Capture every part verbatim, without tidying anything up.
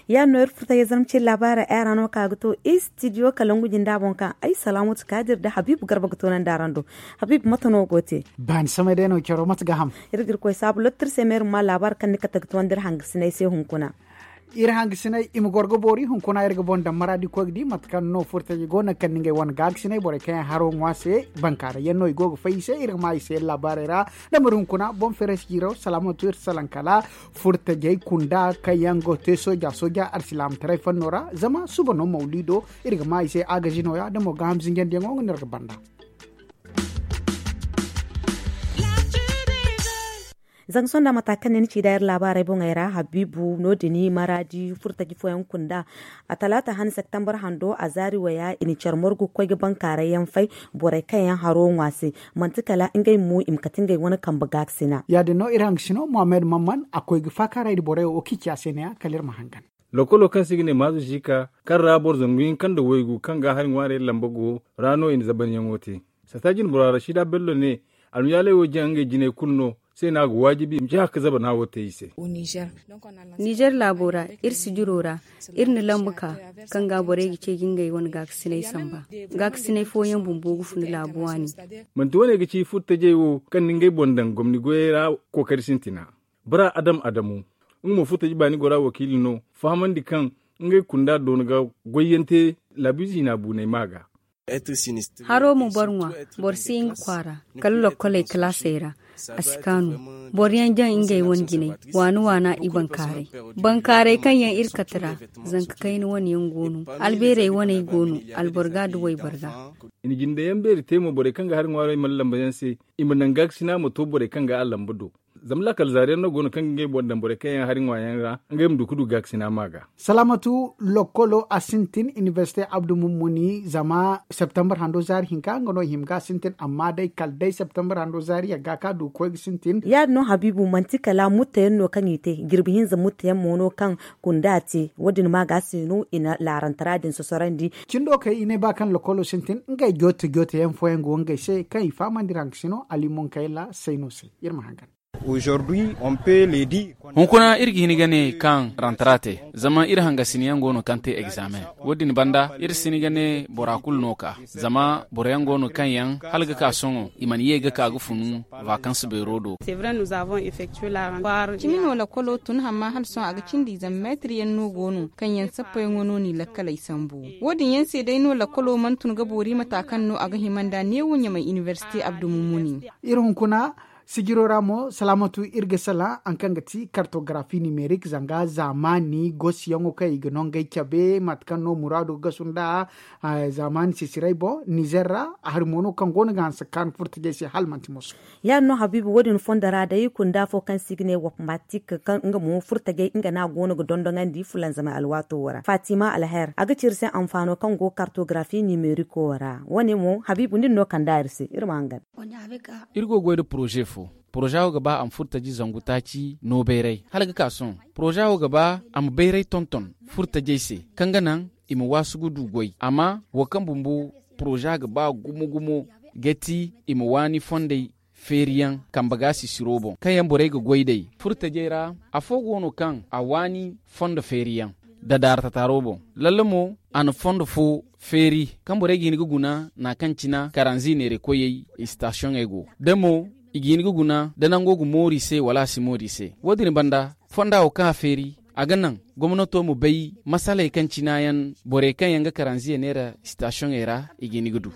Ya no iri furta ya zama cin labaara ay ra no ka ga to istidiyo kalangu jinda boŋ kaŋ ay salamatu kadir da habibu garba ga to nan da rando. Habibu mata no go te? Baani samay day no caro mata ga ham. Iri ga iri koy saabu lottir se meeru ma labaara kaŋ ni kate ga to nda iri hangasinay se hunkuna. Iri hangasinay i ma goro ga boori hunkuna iri ga boŋ daŋ maraadi koy ga di mate kaŋ no furtaji go naŋ kaŋ ni ngey wane gaagasinay borey kaŋ yaŋ haro ŋwa se. Bankaara yaŋ no i go ga fay i se iri ga ma i se labaarey ra. Damar hunkuna boŋ feres jiiro salaamatu iri salaŋ kala furtajey kunda kaŋ yaŋ go te sooja sooja arsilaamataray fanno ra zama suba no mawlido. Iri ga ma i se agazi nooya da mo gaaham zinjandiyaŋo nga no iri ga banda. Zanga sonda mata kaŋ ne ni ci da iri laabaarey boŋey ra habiibu no- din maraadi furtaji fooyaŋ kunda. A talaata han septembar hando a zaari waya i na care morgu ga koy ga bankaaray yaŋ fay. Borey kaŋ yaŋ haro ŋwa se manti kala ngey mo i ma kate ngey wane kambe gaakasina. Ya- din no iri hangasino mohammed mamman a koy ga faakaaray nda borey wo kaŋ i ci a se ne- ya kala iri ma hangan. Lokolo kaŋ se i ga ne maazu ziika kaŋ ra boro zangu hinka nda waygu kaŋ ga hari ŋwaarey lamba go ra no i na zabanyaŋo te. Sata jinbora rashida bello ne almiyaaley wo jaŋ ngey jinay kulu no se no a ga waajibi i ma ci haka zabana wo te i se. Nizer laabo ra iri sijiro ra iri na lambu ka kaŋ ga borey ga ceeji ngey wane gaakasinay samba. Gaakasinay fooyaŋ bumbo ga funa laabu waani. Manti wane ga ci furtajey wo kaŋ ni ngey boŋ daŋ gomni goyey ra kookari sintina. Bara adam adamu nga mo furtaji baani gora wakiili no fahamandi kaŋ ngey kunda doona ga goyyaŋ te laabiize hina buunay ma ga. Haro ma boro ŋwa boro si nga kwaara kala lokkoley kalaasey ra. A si kaanu boro yaŋ jaŋ ngey wane jinay waani waana i bankaaray. Bankaaray kaŋ yaŋ iri kate ra zanka kayna wane yaŋ go no. Albeerey waney go no alboro ga da wayboro ga. I na jindeyaŋ beeri te mo borey kaŋ ga hari ŋwaarey mana lamba yaŋ se i ma naŋ gaakasina ma to borey kaŋ ga a lamba do. Zama laakal zaari yaŋ no go no kaŋ ga ngey boŋ daŋ borey kaŋ yaŋ hari ŋwa yaŋ ra ngey ma du ga du gaakasina ma ga. Salaamatu lokkolo a sintin inibersite abdu mummuni zama septembar hando zaari hinka nga no i hima ga a sintin amma day kala day septembar hando zaari yagga kaŋ a du ga koy ga sintin. Ya- din no habiibu manti kala mutta yaŋ no kaŋ i te jirbi hinza mutta yaŋ mo no kaŋ kunda te wo- din ma ga se no i na laarantara din sosorandi. Cindo kay i ne ba kaŋ lokkolo sintin ngey joote joote yaŋ fooyaŋ go ngey se kaŋ i fahamandi ra nga se no ali munkayla sayno se. Iri ma hangan. Hunkuna iri ga hin ga ne kaŋ rantara te zama iri hangasiniyaŋ go no kaŋ te egzaamen. Wo- din banda iri si hin ga ne bora kulu no ka zama boro yaŋ go no kaŋ yaŋ hala ga ka sohõ i mana ye ga ka ga funu vakansi beero do. Cimi no lakkolo tun hamma hala sohõ a ga cindi zama meetir yaŋ no go no kaŋ yaŋ sappayaŋo no n'i lakkaley sambu. Wo- din yaŋ se day no lakkolo mana tun ga boori mata kaŋ no a ga hima nd'a neewo ɲamay inibersite abdu mummuni. Iri hunkuna sijiro ra mo salaamatu iri ga salaŋ hari kaŋ ga ti kartogarafi nimerik zanga zaamaani gosiyaŋo kaŋ i ga no ngey cabe mate kaŋ no muraado ga gasu nd'a. Zaamaani sisiray boŋ nizer ra hari mo no kaŋ go no ga hanse ga kaanu furtajey se hala manti moso. Ya- din no habiibu wo- din fondo ra day kunda fo kaŋ se i ga ne wapmatik kaŋ nga mo furtajey nga no a go no ga dondoŋandi fulanzamay alwaato wo ra fatima alher a ga ci iri se anfaano kaŋ go kartogarafi nimeriko wo ra wo- ne mo habiibu nin no kand'a iri se iri ma hangan. Iri go ga goy nda poroze fo poroze wo ga ba a ma furtaji zangu taaci no bayray hala ga ka sohõ. Poroze wo ga ba a ma bayray tonton furtajey se kaŋ ga naŋ i ma waasu ga du goy amma wo kaŋ bumbo poroze ga ba gumo gumo ga ti i ma waani fondey feeriyaŋ kambe ga sisiro boŋ kaŋ yaŋ borey ga goy day furtajey ra. Afo go no kaŋ a waani fondo feeriyaŋ dadaara tataaro boŋ. Lalle mo a na fondo fo feeri kaŋ borey ga hin ga guna naŋ kaŋ cina karanzi neerakoyey istasiyoŋey go da mo i ga hin ga guna da nango ga moori se wala a si moori se. Wo- din banda fonda wo kaŋ a feeri a ga naŋ gomnato ma bay masaley kaŋ cina yaŋ borey kaŋ yaŋ ga karanziya neera istasiyoŋey ra i ga hin ga du.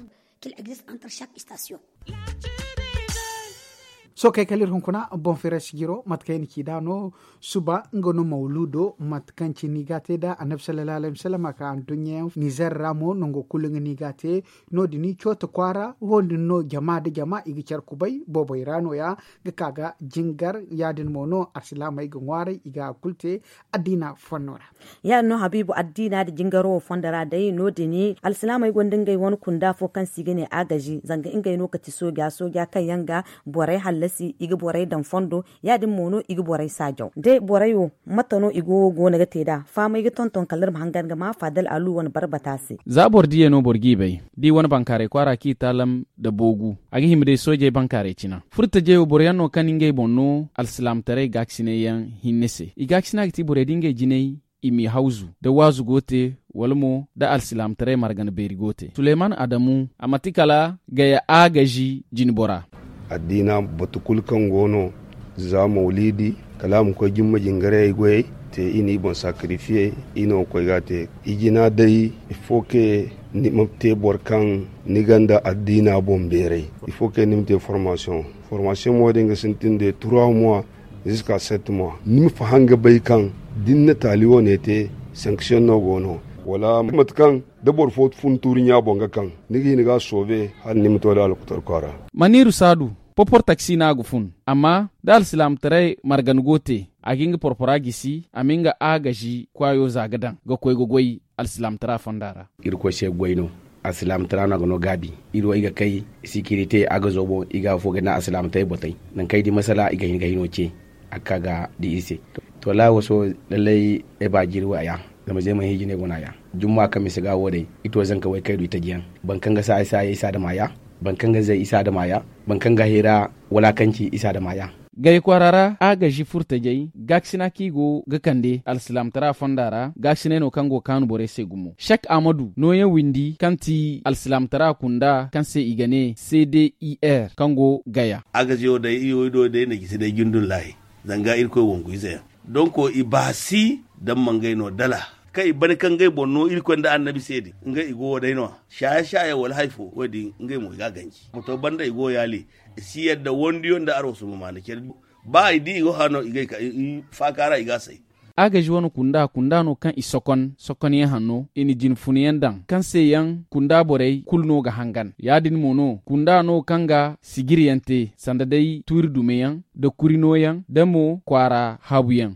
Sookey kala iri hunkuna boŋ feere sijiro mate kaŋ i na ci nd'a no. Suba nga no mawluudo mate kaŋ cine i ga a te nd'a annabi sallallahu alayhi wasallam a ka anduɲɲa yaŋ nizer ra mo nango kulu nga no i ga a te. No- din cooto kwaara wo- din no jama nda jama i ga care kubay boobey ra nooya ga ka ga jingar. Ya- din mo no alsilaamey ga ŋwaaray i ga a kulu te addiina fonno ra. Ya- din no habiibu addiina nda jingaro wo fondo ra day no- din alsilaamey gonda ngey wane kunda fo kaŋ se i ga ne agazi zanga ngey no ga ti sooja sooja kaŋ yaŋ ga borey hallasi. I ga borey daŋ fondo, ya- din mo no i ga borey saajaw day borey wo. Mate no i go wo go no ga te nd'a fahamay ga tonton kala iri ma hangan ga ma faadal alu wane barbata se. Za boro diyey no boro g'i bay, da i wane bankaaray kwaara kaŋ i taalam nda boogu, a ga hima day soojey bankaaray cina furtajey wo boro yaŋ no kaŋ ngey boŋ no alsilaamataray gaakasinay yaŋ hinne se. I gaakasina ga ti borey da ngey jinay i m'i hawzu, da waazu go te, wala mo da alsilaamataray margana beeri go te suleyman adamu a manti kala gaya agazi jinbora. Addiina batu kulu kaŋ go no, za mawliidi, kala a ma koy jumma jingarayey goyey te i n'i boŋ sakarifiye. I no ga koy ga a te. Ijina day, ifo ke ni ma te boro kaŋ ni gonda addiina boŋ beeray. Ifo ke ni ma te formasiyoŋ. Formasiyoŋ mo din ga sintin de trois mois, ziska sept mois ni ma faham ga bay kaŋ da ni na taali wane te, sanksiyoŋ no go no, wala mate kaŋ da boro fo fun tuuri ɲa boŋ ga kaŋ, ni ga hin ga a soobe hala ni ma to da alkutarkwa ra. Maniiru saadu, popor taksi no a ga fun. Amma da alsilaamataray margan go te, a ga nga porpora gisi a ma nga agazi kwaayo za ga daŋ ga koy ga goy alsilaamataray fonda ra. Irkoy se goy no. Alsilaamataray no a ga no gaabi. Iri wo i ga kay sikirite a ga zoobo i ga afo ga na alsilaamataray botay. Nangu kaŋ i di masala i ga hin ga hino ce. A ga ka ga di iri se. To laawo so, lallay ay ba jiiri wo a ya. Zama zeemay hiji ne go no a ya. Jumma kaŋ mise ga wo day, i to zanka way kaydu i taji yaŋ. Boro kaŋ ga saaya saaya isa da maaya. Boro kaŋ ga zay isa da maaya. Boro kaŋ ga hayra walaakanci isa da maaya. Gay kwaara ra agazi furtajey gaakasina kaŋ i go ga kande alsilaamataray fonda ra gaakasinay no kaŋ go ga kaanu borey se gumo shek ahmadu nooyaŋ windi kaŋ ti alsilaamataray kunda kaŋ se i ga ne c d i r kaŋ go gaya. Agazi wo day i wo i do day na jisi day jundun laahi. Zanga irkoy wangu ize yaŋ. Donko i baasi daŋ mangay no dala kaŋ i bane kaŋ ngey boŋ no irkoy nda annabi se din ngey i go wo day no. Shaaye shaaye wala hari fo wo- din ngey mo i ga a ganji moto banda i go yaali. I si yadda wandiyo nda arwasu ma maana care. Ba i di i go hano i gay ka i faaka ra i ga a say. Agazi wane kunda kunda no kaŋ i sokon sokon yaŋ hanno i na jine funa yaŋ daŋ kaŋ se yaŋ kunda borey kulu no ga hangan ya- din mo no kunda no kaŋ ga sijiri yaŋ te sanda day tuuri dume yaŋ nda kuri no yaŋ nda mo kwaara haabu yaŋ.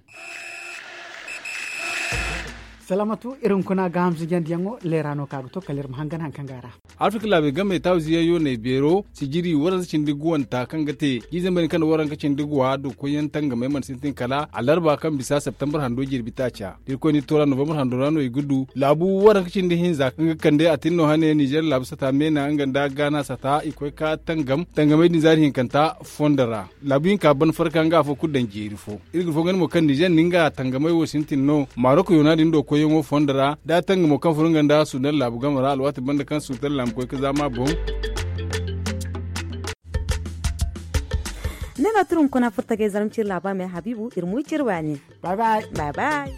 Salaamatu iri hunkuna gaaham zijandiyaŋo leera no kaŋ a ga to kala iri ma hangan hari kaŋ go a ra. Afirka laabey game taawiziyaŋ yooney beero sijiri waranza cindi guwanta kaŋ ga te jiizey mey din kaŋ nda waranka cindi guwa du koyyaŋ tangamey mana sintin kala alarba kaŋ bisa septembar hando jirbi taaca da irkoy n'i to ra novembar hando ra no i ga du laabu waranka cindi hinza kaŋ ga kande a tin no hane nizer laabu sata meena nga nda gaana sata i koy ka tangam tangamey din zaari hinkanta fondo ra. Laabu hinka ban farka nga afo kulu daŋ jeeri fo. Iri ga fo ganda mo kaŋ nizer nda nga tangamey wo sintin no marok yoona din do koyyaŋo fondo ra da a tangamo kaŋ furo nga nda sudan laabu game ra alwaati banda kaŋ sudan laabu koy ga zaama boŋ. Ne no tira hunkuna furtagay zarma ciri laaba me habiibu iri mo i ciri waani. Bay bay.